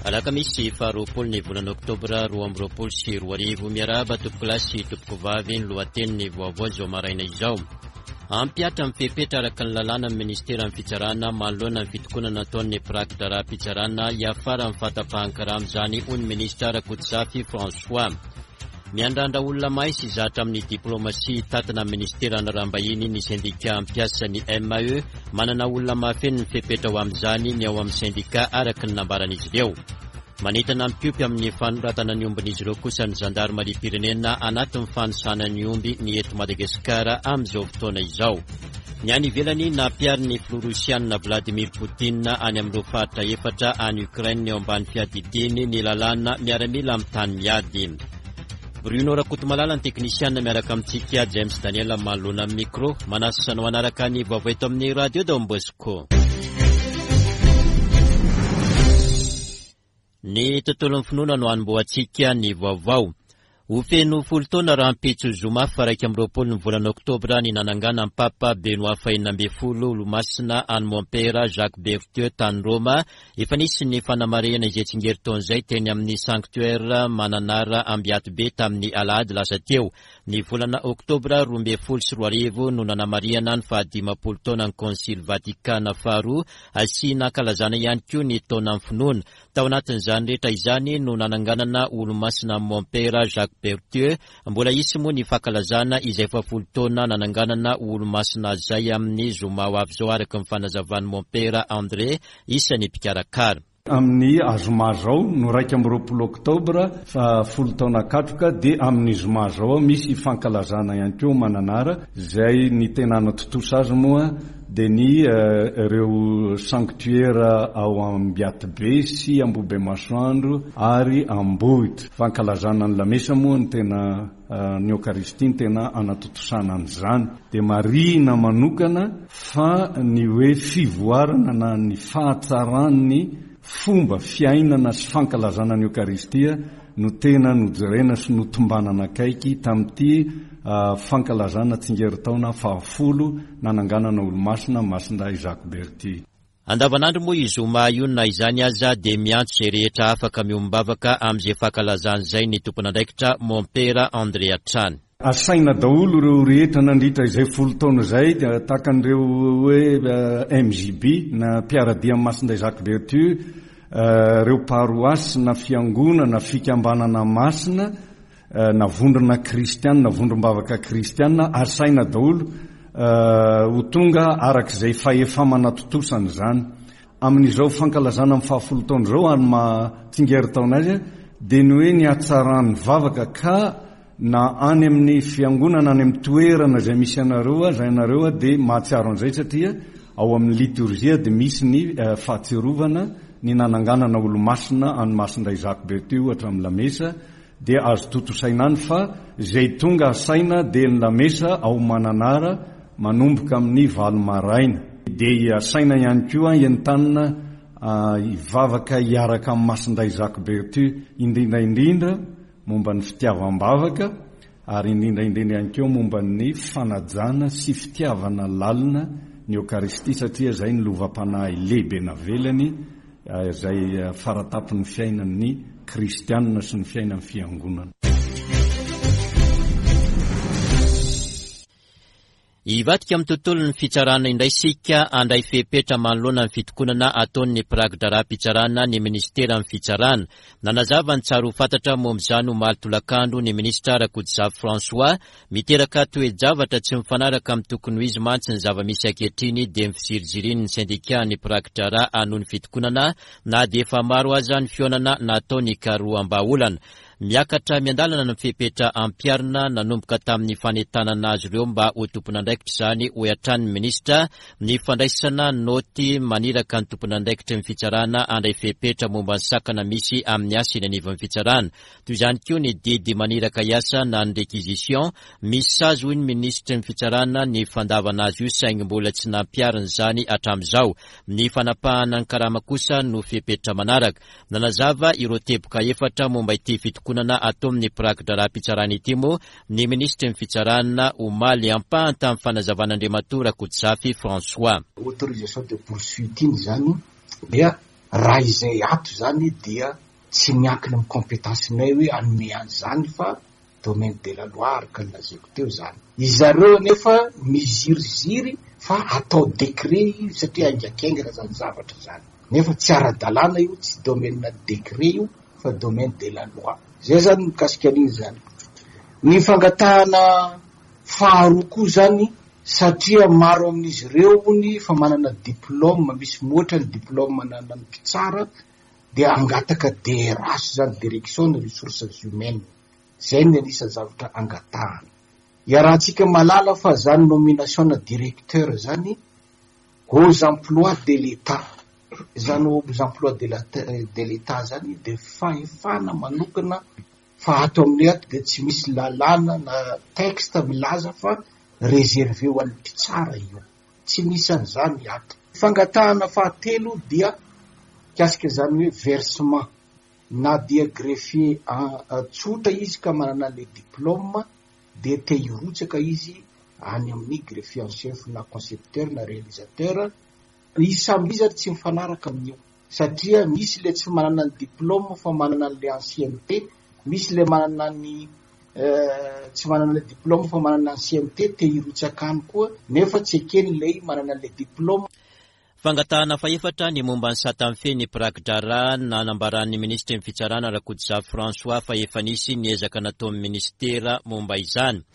Alakamisy faharoapolo ny volana oktobra 2022. Miarahaba tompokolahy sy tompokovavy ny lohatenin'ny vaovao izao maraina izao. Hampihatra ny fepetra araka ny lalàna ny ministeran'ny fitsarana manoloana ny fitokonana ataon'ny mpiraki-draharaham-pitsarana hiafaran'ny fahatapahan-karama izany hoy ny minisitra Rakotozafy François. Miandrandra olona mahay sy zatra amin'ny diplaomasia hitatana ny minisiteran'ny Raharaham-bahiny ny sendika mpiasa ny MAE. Manana olona mahafeno ny fepetra ho amin'izany ny ao amin'ny sendika araka ny nambaran'izy ireo. Manentana ny mpiompy amin'ny fanoratana ny ombin'izy ireo kosa ny zandarimariam-pirenena anatin'ny fanisana ny omby ny eto Madagasikara amin'izao fotoana izao. Ny any ivelany, nampiharin'ny filoha rosianina Vladimir Putin any amin'ireo faritra efatra any Ukraine eo ambany fiadidiany ny lalàna miaramila amin'ny tany miady. Bruno Rakotomalala ny teknisianina miaraka amintsika, James Daniel manoloana ny micro. Manasa anao hanaraka ny vaovao eto amin'ny Radio Don Bosco. Ny tontolon'ny finoana no hanombohantsika ny vaovao. Ho feno folo taona rahampitso zoma faha 21 ny volana oktobra ny nananganan'ny Papa Benoît faha-16 Olomasina an'i Mompera Jacques Berthieu tany Roma. Efa nisy ny fanamarihana izay tsingerin-taona izay teny amin'ny Sanctuaire Mananara Ambiatobe tamin'ny alahady lasa teo. Ny volana oktobra 2012 no nanamarihana ny faha-50 taonan'ny Konsily Vatikana faharoa sy nankalazana ihany koa ny taonan'ny finoana. Tao anatin'izany rehetra izany no nananganana Olomasina amin'i Mompera Jacques Berthieu. Mbola hisy moa ny fankalazana izay fahafolo taona nananganana ho Olomasina azy izay amin'ny zoma ho avy izao araka ny fanazavan'i Mompera André, isan'ny mpikarakara. Amin'ny azoma izao no 21 oktobra fa folo taona katroka dia amin'ny zoma izao misy fankalazana ihany koa Mananara izay ny tena hanatontosa azy moa dia ny ireo sanctuaire ao Ambiatibe sy Ambohibemasoandro ary Ambohitra. Fankalazana ny lamesa moa no tena ny Eokaristia no tena anatontosana an'izany. Dia marihina manokana fa ny hoe fivoarana na ny fahatsaran'ny fomba fiainana sy fankalazana ny Eokaristia no tena nojerena sy notombanana akaiky tamin'ity fankalazana tsingerin-taona fahafolo nananganana Olomasina Masindahy Jacques Berty. Andavanandro moa io zoma io na izany aza dia miantso izay rehetra afaka miombom-bavaka amin'izay fankalazana izay ny tompon'andraikitra Mompera André hatrany. Asaina daholo ireo rehetra nandritra izay folo taona izay tahaka an'ireo hoe MJB na mpiara-dia amin'i Masindahy Jacques Berthu, ireo paroasy na fiangonana, fikambanana masina na vondrona kristiana na vondrom-bavaka kristiana, asaina daholo ho tonga araka izay fahefa-manatontosana izany. Amin'izao fankalazana ny fahafolo taona izao ary maha tsingerin-taona azy dia ny hoe ny hatsaran'ny vavaka ka na any amin'ny fiangonana any amin'ny toerana izay misy anareo aza ianareo dia mahatsiaro an'izay satria ao amin'ny litorjia dia misy ny fahatsiarovana ny nananganana olomasina an'i Masindahy Jacques Berthieu ohatra amin'ny lamesa dia azo tontosaina any fa izay tonga asaina dia ny lamesa ao Mananara manomboka amin'ny valo maraina. Dia asaina ihany koa entanina hivavaka hiaraka amin'i Masindahy Jacques Berthieu indrindra indrindra momba ny fitiavam-bavaka ary indrindra indrindra ihany koa momba ny fanajana sy fitiavana lalina ny Eokaristia satria izay ny lovam-panahy lehibe navelany izay fara-tampon'ny fiainan'ny kristianina sy ny fiainan'ny fiangonana. Hivadika amin'ny tontolon'ny fitsarana indray isika handray fepetra manoloana ny fitokonana ataon'ny mpiraki-draharaham-pitsarana ny minisiteran'ny Fitsarana. Nanazava ny tsara ho fantatra momba izany omaly tolakandro ny minisitra Rakotozafy François. Miteraka toe-javatra tsy mifanaraka amin'ny tokony ho izy mantsy ny zava-misy ankehitriny dia ny fizirizirian'ny sendikan'ny mpiraki-draharaha hanohy ny fitokonana na dia efa maro aza ny fihaonana natao nikaroham-bahaolana. Miakatra miandalana ny fepetra ampiharina nanomboka tamin'ny fanentanana azy ireo mba ho tompon'andraikitra izany, hoy hatrany ny minisitra, ny fandraisana naoty maniraka ny tompon'andraikitry ny fitsarana handray fepetra momba ny sakana misy amin'ny asa eny anivon'ny fitsarana. Toy izany koa ny didy maniraka hiasa na ny réquisition. Misy sazy, hoy ny minisitry ny fitsarana, ny fandavana azy io saingy mbola tsy nampiharina izany hatramin'izao. Ny fanapahana ny karama kosa no fepetra manaraka. Nanazava ireo teboka efatra momba ity fitokonana ataon'ny mpiraki-draharaham-pitsarana ity moa ny minisitry ny Fitsarana omaly. Ampahany tamin'ny fanazavan'Andriamatoa Rakotozafy François. Autorisation de poursuite iny izany dia. Raha izay ato izany dia tsy miankina amin'ny compétence-nay hoe hanome an'izany fa domaine de la loi araka ny lazaiko teo izany. Izareo anefa miziriziry fa atao décret io satria haingankaingana izany zavatra izany. Nefa tsy ara-dalàna io, tsy domaine décret io fa domaine de la loi. Izay izany mikasika an'iny izany. Ny fangatahana faharoa koa izany satria maro amin'izy ireo hono fa manana diplôme, misy mihoatra ny diplôme ananan'ny mpitsara dia hangataka DRH izany, Direction des Ressources Humaines. Izay no anisan'ny zavatra angatahana. Iarahantsika mahalala fa izany nomination-na directeur izany aux emplois de l'Etat. Izany aux emplois de la de l'Etat izany dia fahefana manokana fa ato aminay ato dia tsy misy lalàna na texte milaza fa réservé ho an'ny mpitsara io. Tsy misy an'izany ato. Fangatahana fahatelo dia mikasika izany hoe versement. Na dia greffier tsotra izy ka manana an'ilay diplôme dia te hirotsaka izy any amin'ny greffier en chef na concepteur na réalisateur. Izy samy izy ary tsy mifanaraka amin'io satria misy ilay tsy manana ny diplôme fa manana an'ilay ancienneté, misy ilay manana ny tsy manana ilay diplôme fa manana ancienneté te hirotsaka any koa nefa tsy ekeny ilay manana ilay diplôme. Fangatahana fahefatra ny momba ny sata mifehy ny mpiraki-draharaha nanambaran'ny minisitry ny Fitsarana Rakotozafy François fa efa nisy ny ezaka nataon'ny minisitera momba izany.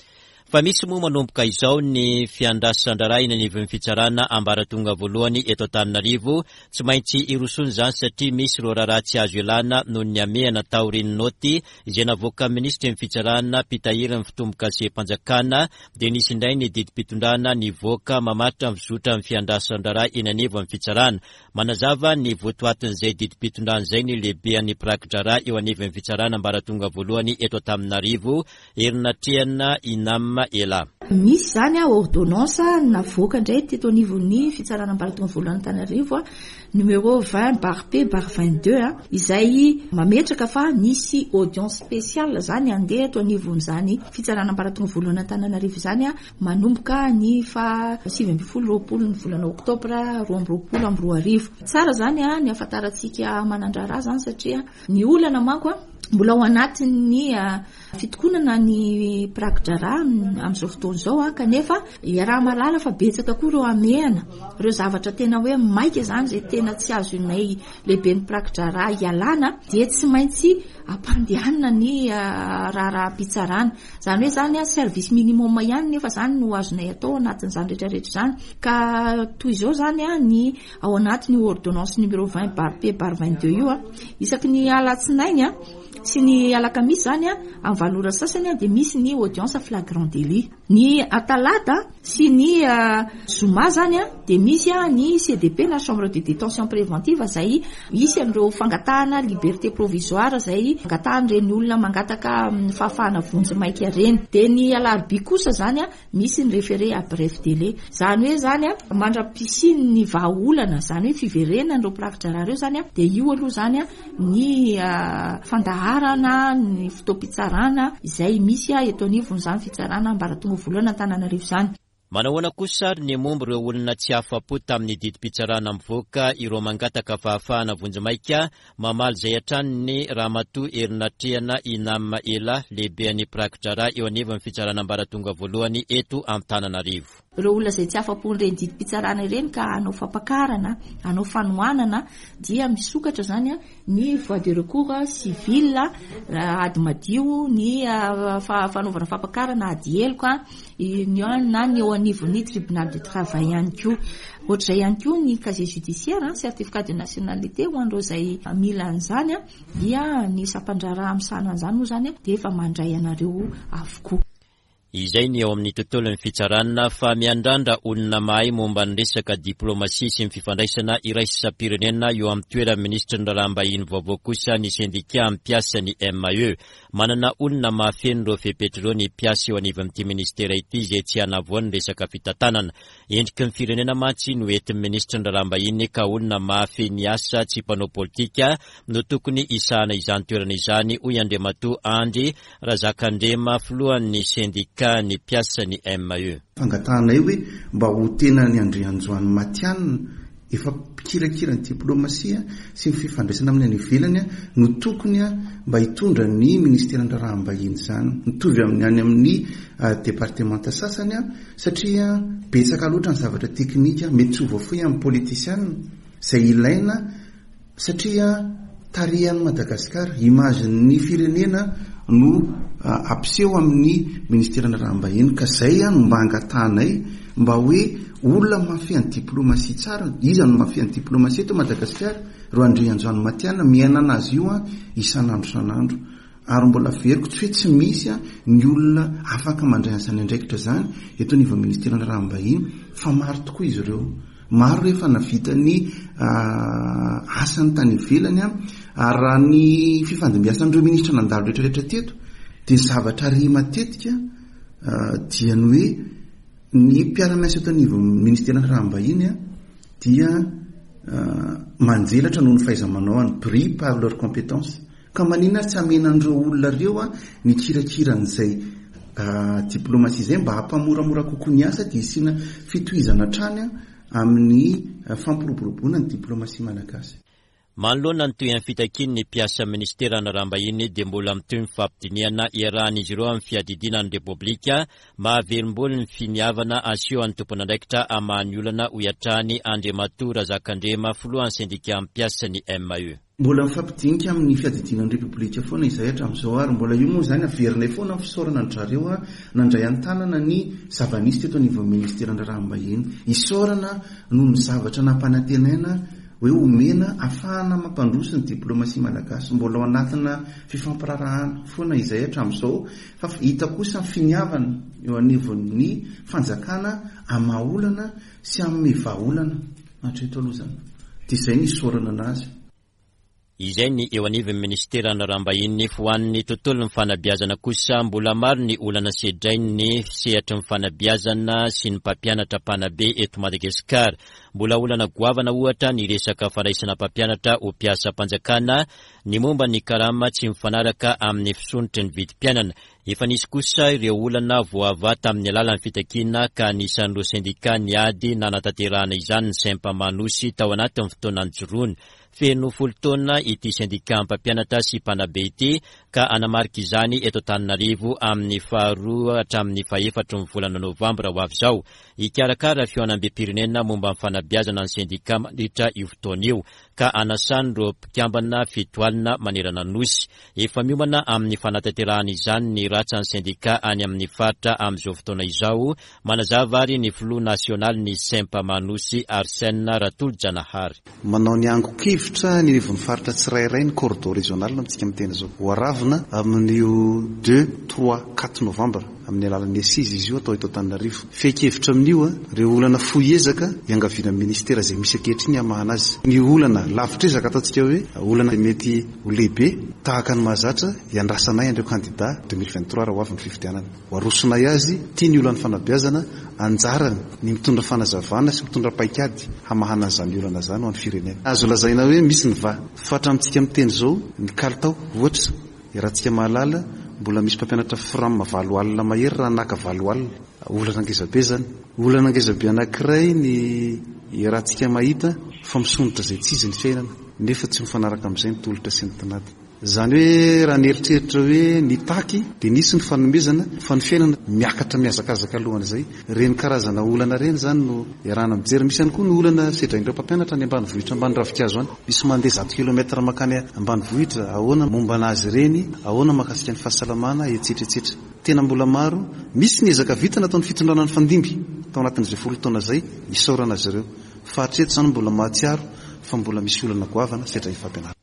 Fa misy moa manomboka izao ny fiandrasan-draharaha eny anivon'ny fitsarana ambaratonga voalohany eto Antananarivo. Tsy maintsy hirosoana izany satria misy ireo raharaha tsy azo ialana noho ny hamehana taorian'ny naoty izay navoakan'ny minisitry ny fitsarana mpitahiry ny fitombokasem-panjakana dia nisy indray ny didim-pitondrana nivoaka mamaritra ny fizotran'ny fiandrasan-draharaha eny anivon'ny fitsarana. Manazava ny votoatin'izay didim-pitondrana izay ny lehibean'ny mpiraki-draharaha eo anivon'ny fitsarana ambaratonga voalohany eto Antananarivo, Herinatrehana Inam Ela. Misy izany ordonnance navoaka indray teto anivon'ny fitsarana ambaratonga voalohany Antananarivo, numéro 20 barre P barre 22, izay mametraka fa nisy audience spéciale izany handeha eto anivon'izany fitsarana ambaratonga voalohany Antananarivo izany manomboka ny faha 19 20 ny volana oktobra 2022. Tsara izany ny hahafantarantsika manan-draharaha izany satria ny olana manko mbola ao anatin'ny fitokonana ny mpiraki-draharaha amin'izao fotoana izao kanefa iaraha-mahalala fa betsaka koa ireo hamehana, ireo zavatra tena hoe maika izany izay tena tsy azonay lehiben'ny mpiraki-draharaha ialana dia tsy maintsy ampandehanina ny raharaham-pitsarana. Izany hoe izany service minimum ihany nefa izany no azonay atao anatin'izany rehetra rehetra izany. Ka toy izao izany ny ao anatin'io ordonnance numéro 20 barre P barre 22 io, isaky ny alatsinainy sy ny alakamisy izany amin'ny valo ora sasany dia misy ny audience flagrant délit. Ny talata sy ny zoma izany dia misy ny CDP na chambre de détention préventive izay hisy an'ireo fangatahana liberté provisoire izay angatahan'ireny olona mangataka fahafahana vonjimaika ireny. Dia ny alarobia kosa izany misy ny référé à bref délai. Izany hoe izany mandra-pisian'ny vahaolana, izany hoe fiverenan'ireo mpiraki-draharaha ireo izany dia io aloha izany ny fandaharana ny fotoam-pitsarana izay misy eto anivon'izany fitsarana ambaratonga voalohany Antananarivo izany. Manahoana kosa ary ny momba ireo olona tsy afa-po tamin'ny didim-pitsarana mivoaka ireo mangataka fahafahana vonjimaika? Mamaly izay hatrany ny Ramatoa Herinatrehana Inam Ela, lehiben'ny mpiraki-draharaha eo anivon'ny fitsarana ambaratonga voalohany eto Antananarivo. Ireo olona izay tsy afa-pon'ireny didim-pitsarana ireny ka hanao fampakarana, hanao fanohanana dia misokatra izany ny voie de recours civil, ady madio, ny fanaovana fampakarana ady heloka, na ny eo anivon'ny tribunal du travail ihany koa. Ohatr'izay ihany koa ny casier judiciaire, certificat de nationalité ho an'ireo izay mila an'izany dia ny sampan-draharaha misahana an'izany moa izany dia efa mandray anareo avokoa. Izay ny eo amin'ny tontolon'ny fitsarana fa miandrandra olona mahay momba ny resaka diplaomasia sy ny fifandraisana iraisam-pirenena eo amin'ny toeran'ny minisitry ny raharaham-bahiny vaovao kosa ny sendika mpiasa ny MAE. Manana olona mahafeno ireo fepetra ireo ny mpiasa eo anivon'ity minisitera ity izay tsy hanavoa ny resaka fitantanana. Endriky ny firenena mantsy no entin'ny minisitry ny raharaham-bahiny ka olona mahafehy ny asa tsy mpanao politika no tokony hisahana izany toerana izany, hoy Andriamatoa Andry Razakandrema, filohan'ny sendikà ny mpiasan'ny MAE. Fangatahanay hoe mba ho tena ny Andrianjoany matihanina. efa mpikirakira ny diplomasia sy ny fifandraisana amin'ny any ivelany no tokony mba hitondra ny ministeran'ny raharaham-bahiny izany. Mitovy amin'ny any amin'ny departemanta sasany satria betsaka loatra ny zavatra teknika mety tsy ho voafehy amin'ny politisiana izay ilaina Satria tarehan'i Madagasikara, image-n'ny firenena no ampiseho amin'ny ministeran'ny raharaham-bahiny ka zay no mba angatahanay mba hoe olona mahafehy ny diplomatie tsara, iza no mahafehy ny diplomatie eto Madagasikara? Ireo Andrianjanomatiana miaina anazy io isan'andro isan'andro. Ary mbola averiko tsy hoe tsy misy ny olona afaka mandray an'izany andraikitra izany eto anivon'ny ministeran'ny raharaham-bahiny fa maro tokoa izy ireo. Maro ireo efa nahavita ny asany tany ivelany ary raha ny fifandimbiasan'ireo minisitra nandalo rehetrarehetra teto dia ny zavatra re matetika dia ny hoe ny mpiara-miasa eto anivon'ny ministeran'ny raharaham-bahiny dia manjelatra noho ny fahaiza-manaony, brillent par leur compétence. Ka maninona ary tsy hamena an'ireo olona ireo ny kirakira an'izay diplomatie izay mba hampamoramora kokoa ny asa dia hisiana fitohizana hatrany amin'ny fampiroboroboana ny diplomatie malagasy. Manoloana ny tohin'ny fitakian'ny mpiasa minisiteran'ny Raharaham-bahiny dia mbola mitohy ny fampidinihana iarahan'izy ireo amin'ny fiadidiana ny Repoblika mahavelom-bolo ny finiavana asehon'ny tompon'andraikitra hamaha ny olana hoy hatrany Andriamatoa Razakandrema filohan'ny sendikà mpiasa ny MAE. Mbola mifampidinika amin'ny fiadidiana ny Repoblika foana izahay hatramin'izao ary mbola io moa izany averinay foana ny fisaorana an-dry zareo nandray an-tanana ny zava-nisy teto anivon'ny Ministeran'ny Raharaham-bahiny. Isaorana noho ny zavatra nampanantenaina hoe homena afahana mampandroso ny diplomasia malagasy. Mbola ao anatina fifampiraharahana foana izahay hatramin'izao fa hita kosa ny finiavana eo anivon'ny fanjakana hamaha olana sy hanome vahaolana. Hatreto aloha izany dia izay no isaorana anazy. Izay ny eo anivon'ny minisiteran'ny Raharaham-bahiny. Ho an'ny tontolon'ny fanabeazana kosa, mbola maro ny olana sedrain'ny sehatry ny fanabeazana sy ny mpampianatra mpanabe eto Madagasikara. Mbola olana goavana ohatra ny resaka fandraisana mpampianatra ho mpiasam-panjakana, ny momba ny karama tsy mifanaraka amin'ny fisondrotry ny vidim-piainana. Efa nisy kosa ireo olana voavaha tamin'ny alalan'ny fitakiana ka anisan'ireo sendikà niady nanatanterahana izany ny Sempama Anosy tao anatin'ny fotoana nijoroany. Feno folo taona ity sendikà mpampianatra sy mpanabe ity ka hanamarika izany eto Antananarivo amin'ny faharoa hatramin'ny fahefatry ny volana novambra ho avy izao. Hikarakara fihaonambem-pirenena momba ny fanabeazana ny sendikà mandritra io fotoana io ka hanasan'ireo mpikambana 70 manerana ny Nosy. Efa miomana amin'ny fanatanterahana izany ny ratsan'ny sendikà any amin'ny faritra amin'izao fotoana izao, manazava ary ny filoha nasionalin'ny Sempama Nosy, Arsène Ratolojanahary. Manao ny angon-kevitra any anivon'ny faritra tsirairay ny cordeau régional amintsika miteny izao. Ho aravina amin'io deux, trois, quatre novembre amin'ny alalan'ny assises izy io atao eto Antananarivo. Fehin-kevitra amin'io, ireo olana fohy ezaka iangaviana amin'ny ministera izay misy ankehitriny hamahana azy. Ny olana lavitr'ezaka ataontsika hoe olana mety Ho lehibe, tahaka ny mahazatra, iandrasanay an'ireo kandida 2023 raha ho avy ny fifidianana. Ho arosonay azy, ity ny olan'ny fanabeazana, anjarany ny mitondra fanazavana sy mitondra paikady hamahana an'izany olana izany ho an'ny firenena. Azo lazaina hoe misy ny vaha. Fa hatramintsika miteny izao, ny kalitao, ohatra, iarahantsika mahalala, mbola misy mpampianatra fram 80 mahery raha naka 80. Olana ngezabe izany. Olana ngezabe anankiray ny iarahantsika mahita fa misondrotra izay tsy izy ny fiainana nefa tsy mifanaraka amin'izay ny tolotra sy ny tinady. Izany hoe raha nieritreritra hoe nitaky dia nisy ny fanomezana fa ny fiainana miakatra mihazakazaka alohan'izay. Ireny karazana olana ireny izany no iarahana mijery. Misy ihany koa ny olana sedrain'ireo mpampianatra any ambanivohitra ambany ravinkazo any. Misy mandeha 100 kilomètre mankany ambanivohitra, ahoana momba an'azy ireny, ahoana mahakasika ny fahasalamana, etsetra etsetra. Tena mbola maro. Misy ny ezaka vita nataon'ny fitondrana nifandimby tao anatin'izay folo taona izay, isaorana azy ireo. Fa hatreto izany mbola mahatsiaro fa mbola misy olana goavana sedrain'ny fampianarana.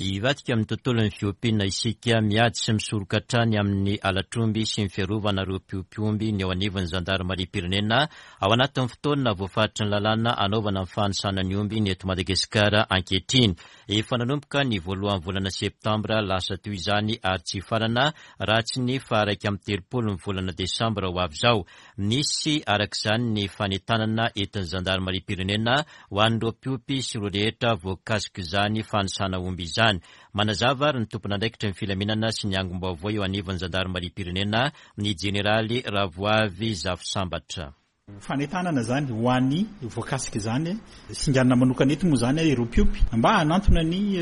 Hivadika amin'ny tontolon'ny fiompiana isika, miady sy misoroka hatrany amin'ny halatr'omby sy ny fiarovana ireo mpiompy omby ny eo anivon'ny zandarimariam-pirenena ao anatin'ny fotoana voafaritry ny lalàna hanaovana ny fanisana ny omby ny eto Madagasikara ankehitriny. Efa nanomboka ny voalohan'ny volana septambra lasa teo izany ary tsy hifarana raha tsy ny faha-31 ny volana desambra ho avy izao. Nisy araka izany ny fanentanana entin'ny zandarimariam-pirenena ho an'ireo mpiompy sy ireo rehetra voakasik'izany fanisana omby izany. Manazava ary ny tompon'andraikitry ny filaminana sy ny angom-baovao eo anivon'ny zandarimariam-pirenena, ny jeneraly Ravoavy Zafisambatra. Fanentanana izany ho an'ny voakasika izany, singanina manokana eto moa izany ireo mpiompy mba hanantona ny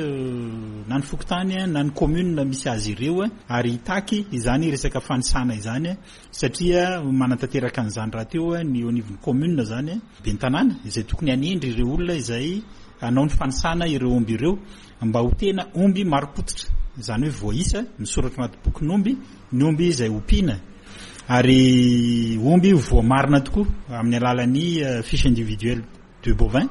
na ny fokontany na ny commune misy azy ireo ary hitaky izany resaka fanisana izany satria manatanteraka an'izany rahateo ny eo anivon'ny commune izany, ben'ny tanàna izay tokony hanendry ireo olona izay hanao ny fanisana ireo omby ireo mba ho tena omby marim-pototra, izany hoe voaisa, misoratra anaty bokin'omby ny omby izay ompiana ary omby voamarina tokoa amin'ny alalan'ny fiche individuelle de bovin,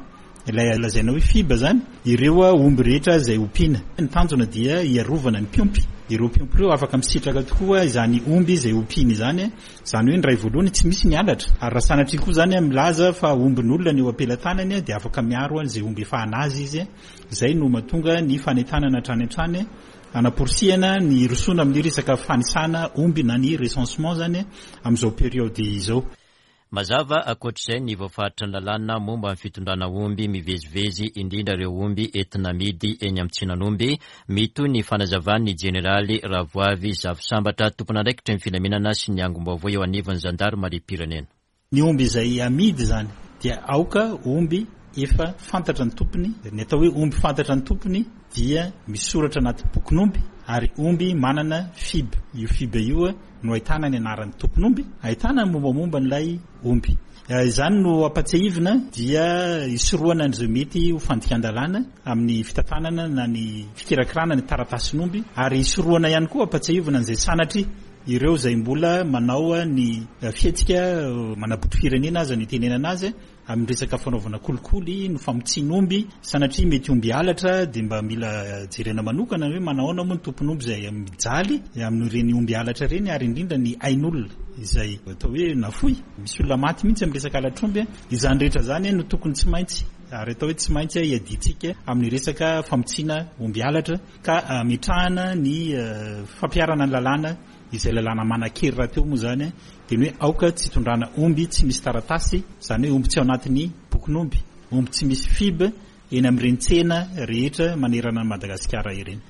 ilay lazaina hoe FIB izany, ireo omby rehetra izay ompiana. Ny tanjona dia hiarovana ny mpiompy. Ireo mpiompy ireo afaka misitraka tokoa izany omby izay ompiany izany, izany hoe ny iray voalohany tsy misy ny halatra, ary raha sanatria koa izany milaza fa ombin'olona ny eo am-pelatanany dia afaka miaro an'izay omby efa an'azy izy. Izay no mahatonga ny fanentanana hatrany hatrany hanaporisihana ny hirosoana amin'ny resaka fanisana omby na ny recensement izany amin'izao période izao. Mazava ankoatr'izay ny voafaritry ny lalàna momba ny fitondrana omby mivezivezy indrindra ireo omby entina amidy eny amin'ny tsenan'omby. Mitohy ny fanazavan'ny jeneraly Ravoavy Zafisambatra, tompon'andraikitry ny filaminana sy ny angom-baovao eo anivon'ny zandarimariam-pirenena. Ny omby izay amidy izany dia aoka omby efa fantatra ny tompony, ny atao hoe omby fantatra ny tompony dia misoratra anaty bokin'omby ary omby manana fib, io fib io no ahitana ny anaran'ny tompon'omby, ahitana ny mombamomba an'ilay omby. Izany no ampatsiahivina dia hisorohana an'izay mety ho fandikan-dalàna amin'ny fitantanana na ny fikirakirana ny taratasin'omby ary hisorohana ihany koa ampatsiahivina an'izay sanatria Ireo izay mbola manao ny fihetsika manabotry firenena aza no itenenana azy amin'ny resaka fanaovana kolikoly, ny famotsian'omby, sanatria mety omby halatra dia mba mila jerena manokana hoe manahoana moa ny tompon'omby izay mijaly amin'ireny omby halatra ireny ary indrindra ny ain'olona izay atao hoe nafoy, misy olona maty mihitsy amin'ny resaka halatr'omby, izany rehetra izany no tokony tsy maintsy ary atao hoe tsy maintsy hiadiantsika amin'ny resaka famotsiana omby halatra. Ka ametrahana ny fampiharana ny lalàna, izay lalàna manan-kery rahateo moa izany, dia ny hoe aoka tsy hitondrana omby tsy misy taratasy, izany hoe omby tsy ao anatin'ny bokin'omby, omby tsy misy fib eny amin'ireny tsena rehetra manerana an'i Madagasikara ireny.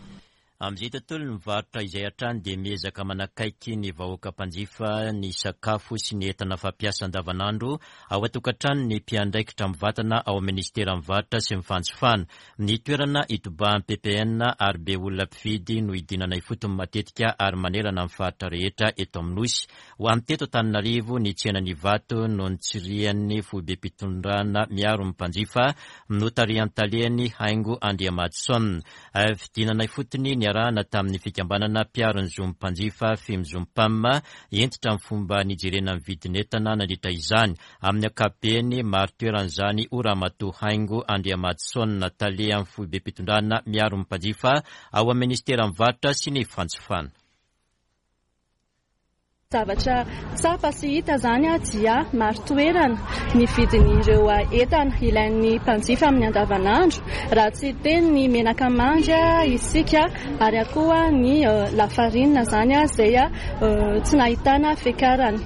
Amin'izay tontolon'ny varotra izay hatrany dia miezaka manakaiky ny vahoaka mpanjifa ny sakafo sy ny entana fampiasa andavanandro ao an-tokantrano ny mpiandraikitra mivantana ao amin'ny minisiteran'ny varotra sy ny fanjifana. Ny toerana itobahan'ny ppn ary be olona mpividy no idinana ifotony matetika ary manerana ny faritra rehetra eto amin'ny Nosy. Ho an'ny teto Antananarivo, ny tsenan'Ivato no nitsirian'ny foibem-pitondrana miaro ny mpanjifa, notarihan'ny taleny Haingo Andriamadison. Fidinana ifotony niarahana tamin'ny fikambanana mpiaro ny zon'ny mpanjifa Fimzompam, hentitra ny fomba nijerena ny vidin'entana nandritra izany. Amin'ny ankapobeny, mari-toerana izany ho Ramatoa Haingo Andriamadison, Tale amin'ny foibem-pitondrana miaro ny mpanjifa ao amin'ny Minisiteran'ny Varotra sy ny Fanjifana. Zavatra tsapa sy hita izany dia marin-toerana ny vidin'ireo entana ilain'ny mpanjifa amin'ny andavanandro, raha tsy hiteny ny menaka mandry isika ary koa ny lafarinina izany izay tsy nahitana fiakarany.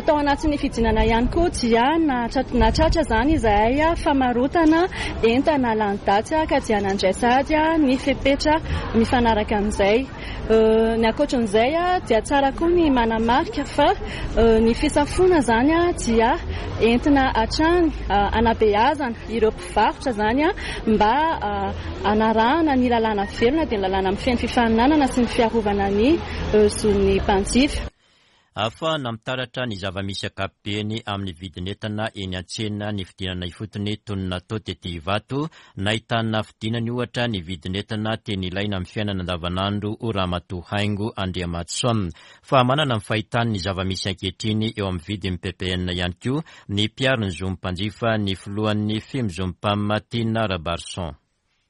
Tao anatin'ny fidinana ihany koa dia nahatratra izany izahay famarotana entana lany daty ka dia nandray sahady ny fepetra mifanaraka amin'izay. Ny ankoatran'izay dia tsara koa ny manamarika fa ny fisafoana izany dia entina hatrany hanabeazana ireo mpivarotra izany mba hanarahana ny lalàna velona dia ny lalàna mifehy ny fifaninanana sy ny fiarovana ny zon'ny mpanjifa. Ahafahana mitaratra ny zava-misy ankapobeny amin'ny vidin'entana eny an-tsena ny fidinana ifotony toy ny natao tety Ivato. Nahitana fidinany ohatra ny vidin'entana tena ilaina amin'ny fiainana andavanandro hoy Ramatoa Haingo Andriamatison. Fa manana ny fahitany ny zava-misy ankehitriny eo amin'ny vidin'ny ppn ihany koa ny mpiaro ny zon'ny mpanjifa, ny filohan'ny Fimzompam, Tiana Rabarison.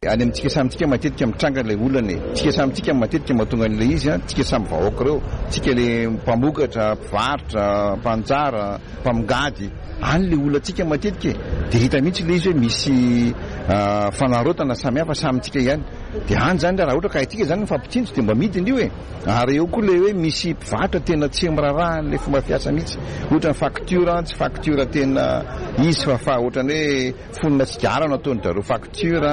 Any amintsika samy tsika matetika mitranga ilay olana e! Tsika samy tsika matetika mahatonga an'ilay izy an, tsika samy vahoaka ireo, tsika le mpamokatra, mpivarotra, mpanjara, mpamongady, any le olantsika matetika e! De hita mihitsy ilay izy hoe misy fanarotana samihafa samy tsika ihany, de any zany raha ohatra ka haintsika zany mifampitsinjo de mba midina io e! Ary eo koa ilay hoe misy mpivarotra tena tsy miraharaha an'ilay fomba fiasa mihitsy, ohatra ny facture, tsy facture tena izy fa fa ohatran'ny hoe Fonona sigara no ataon-dry zareo facture,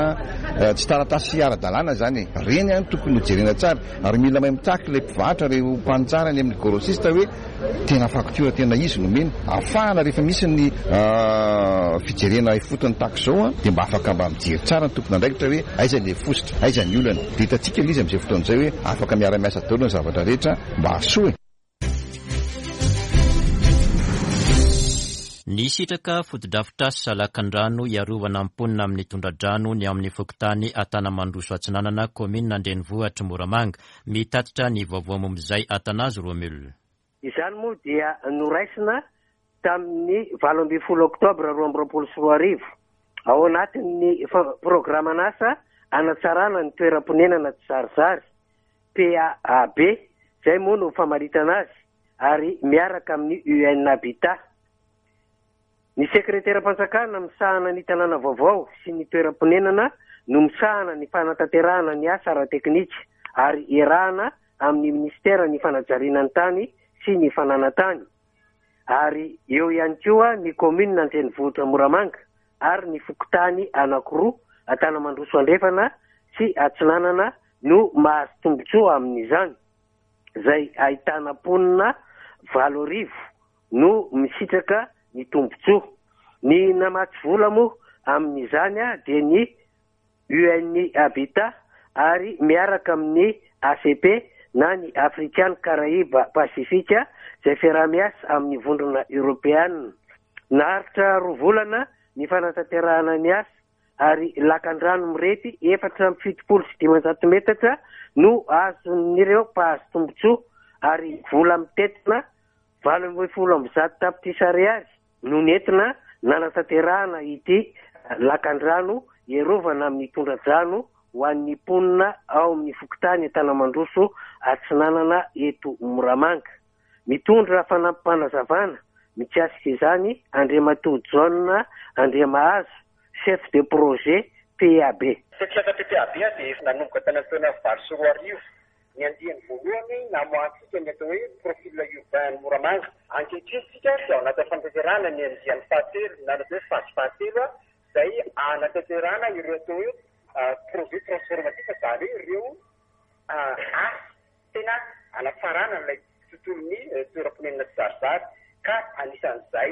tsy taratasy ara-dalàna izany e. Ireny an tokony ho jerena tsara ary mila mahay mitaky ilay mpivarotra, ireo mpaninjara any amin'ny grossiste hoe. Tena facture tena izy no omena. Ahafahana rehefa misy ny fijerena ifotony tahaka izao dia mba afaka mba mijery tsara ny tompon'andraikitra hoe aiza ilay fositra, aiza ny olana. Dia hitantsika ilay izy amin'izay fotoana izay hoe afaka miara-miasa daholo ny zavatra rehetra mba hahasoa e. Nisitraka fotodrafitrasa lakandrano hiarovana ny mponina amin'ny tondra-drano ny ao amin'ny fokontany Antanamandroso Atsinanana, kaominina an-drenivohitr'i Moramanga. Mitatitra ny vaovao momba izay Athanase Romule. Izany moa dia noraisina tamin'ny 18 oktobra 2022, ao anatin'ny programan'asa hanatsarana ny toeram-ponenana tsizarizary, PAAB, izay moa no famaritana azy, ary miaraka amin'ny UN Habitat. Ny sekreteram-panjakana misahana ny tanàna vaovao sy ny toeram-ponenana no misahana ny fanatanterahana ny asa ara-teknika ary iarahana amin'ny minisiteran'ny fanajariana ny tany sy ny fananan-tany ary eo ihany koa ny kaominina an-drenivohitra Moramanga ary ny fokontany anankiroa Antanamandroso Andrefana sy Atsinanana no mahazo tombontsoa amin'izany izay ahitana mponina 8000 no misitraka ny tombontsoa. Ny namatsy vola moa amin'izany dia ny UNI Habitat ary miaraka amin'ny ACP na ny African Caraïbes Pacific izay fiaraha-miasa amin'ny Vondrona Eoropeana. Naharitra roa volana ny fanatanterahana ny asa ary lakandrano mirefy 574 metatra no azon'ireo mpahazo tombontsoa ary vola mitentina 118 tapitrisa ariary no nentina nanatanterahana ity lakandrano hiarovana amin'ny tondra-drano ho an'ny mponina ao amin'ny fokontany Antanamandroso Atsinanana eto Moramanga. Mitondra fanampim-panazavana mikasika izany Andriamatoa John Andriamahazo, Chef de projet PAB. Tetikasa PPAB dia efa nanomboka tany amin'ny taona 2008. Ny andiany voalohany namoahantsika ny atao hoe profil urbain an'i Moramanga. Ankehitriny isika dia ao anatin'ny fanatanterahana ny andiany fahatelo na ny atao hoe phase fahatelo izay hanatanterahana ireo atao hoe projet transformatif izany hoe ireo asa tena hanatsarana an'ilay tontolon'ny toeram-ponenana tsizarizary ka anisan'izay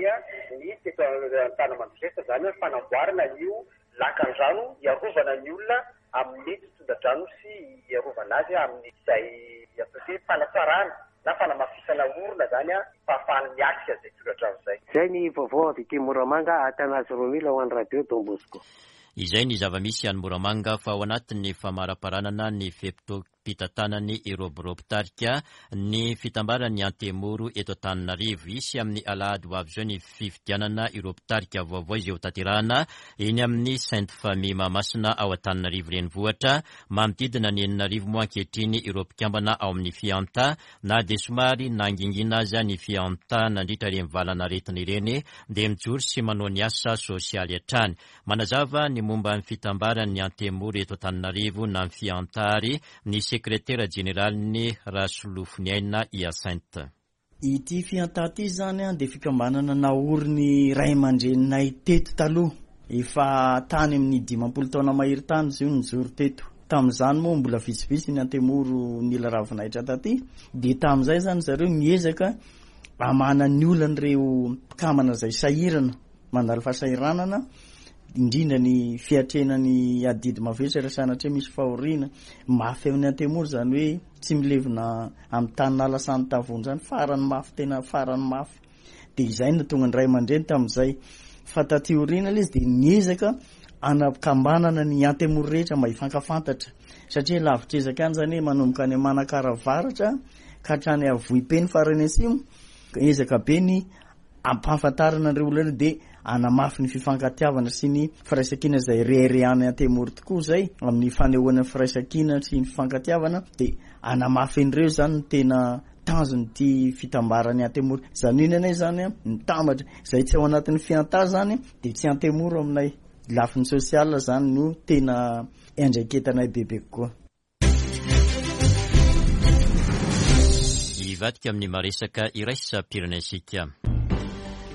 ny teto Antanamandrosesa izany hoe fanamboarana an'io lakan-drano hiarovana ny olona amin'ny tondra-drano sy hiarovana azy amin'izay atao hoe fanatsarana na fanamafisana orina izany fahafahany miatrika izay tondra-drano izay. Izay ny vaovao avy aty Moramanga, Athanase Romila ho an'ny Radio Don Bosco. Izay ny zava-misy any Moramanga fa ao anatin'ny famaraparanana ny fe-potoam pitantanany ireo birao mpitarika ny fitambaran'ny Antemoro eto Antananarivo. Hisy amin'ny alahady ho avy izao ny fifidianana ireo mpitarika vaovao izay hotanterahana eny amin'ny Sainte Famille Mahamasina ao Antananarivo Renivohitra. Manodidina ny 6000 moa ankehitriny ireo mpikambana ao amin'ny Fianta. Na dia somary nangingina aza ny Fianta nandritra ireny valan'aretina ireny dia mijoro sy manao ny asa sosialy hatrany. Manazava ny momba ny fitambaran'ny Antemoro eto Antananarivo na ny Fiantary ny sekretera jeneraliny Rasolofoniaina Hyacinthe. Ity Fianta ity izany dia fikambanana naorin'ny ray aman-dreninay teto taloha. Efa tany amin'ny 50 taona mahery tany izy io no nijoro teto. Tamin'izany moa mbola vitsivitsy ny Antemoro nila ravinahitra taty. Dia tamin'izay izany zareo niezaka hamahana ny olan'ireo mpikambana izay sahirana. Mandalo fahasahiranana, indrindra ny fiatrehana ny adidy mavesatra sanatria misy fahoriana. Mafy amin'ny antemoro izany hoe tsy milevina amin'ny tany nalasan'ny tavony izany, farany mafy, tena farany mafy. Dia izay no tonga ny ray aman-dreny tamin'izay. Fa taty aoriana ilay izy dia niezaka anakambanana ny antemoro rehetra mba hifankafantatra. Satria lavitr'ezaka ihany izany hoe manomboka any Manakara avaratra ka hatrany Avohipeno farany atsimo, ezaka be ny Ampahafantarana an'ireo olona ireo dia hanamafy ny fifankatiavana sy ny firaisankina izay reharehan'ny Antemoro tokoa izay amin'ny fanehoana ny firaisankina sy ny fifankatiavana dia hanamafy an'ireo izany no tena tanjon'ity fitambaran'ny Antemoro. Izany hoe ny anay izany mitambatra, izay tsy ao anatin'ny fiantà izany dia tsy Antemoro aminay. Lafiny sosial izany no tena iandraiketanay bebe kokoa. Hivadika amin'ny maresaka iraisam-pirenena isika.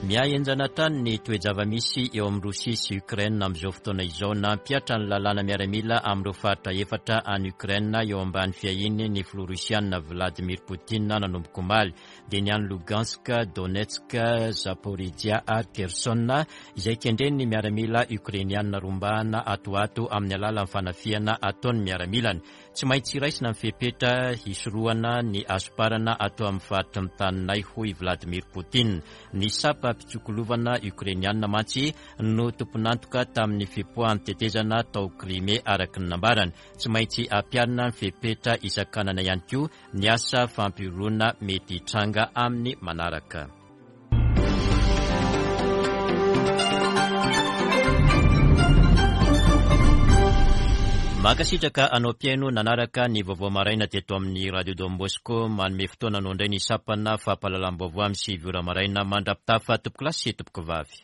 Mihahenjana hatrany ny toe-java-misy eo amin'i Rosia sy Ukraine amin'izao fotoana izao. Nampihatra ny lalàna miaramila amin'ireo faritra efatra any Ukraine eo ambany fiahiany ny filoha Rosiana Vladimir Putin nanomboka omaly, dia ny any Lugansk, Donetsk, Zaporizhia ary Kherson, izay kendren'ny miaramila Ukrainiana rombahana ato ho ato amin'ny alalan'ny fanafihana ataon'ny miaramilany. Tsy maintsy raisina ny fepetra hisorohana ny hasomparana ato amin'ny faritry ny taninay, hoy i Vladimir Putin. Ny sapa mpitsokolovana Ukrainiana mantsy no tompon'antoka tamin'ny fipoahan'ny tetezana tao Crimée, araka ny nambarany. Tsy maintsy ampiharina ny fepetra hisakanana ihany koa ny asa fampihorohoroana mety hitranga amin'ny manaraka. Mankasitraka anao mpihaino nanaraka ny vaovao maraina teto amin'ny Radio Don Bosco. Manome fotoana anao indray ny sampana fampahalalam-baovao amin'ny 9 ora maraina mandra-pitafa tompokolahy sy tompokovavy.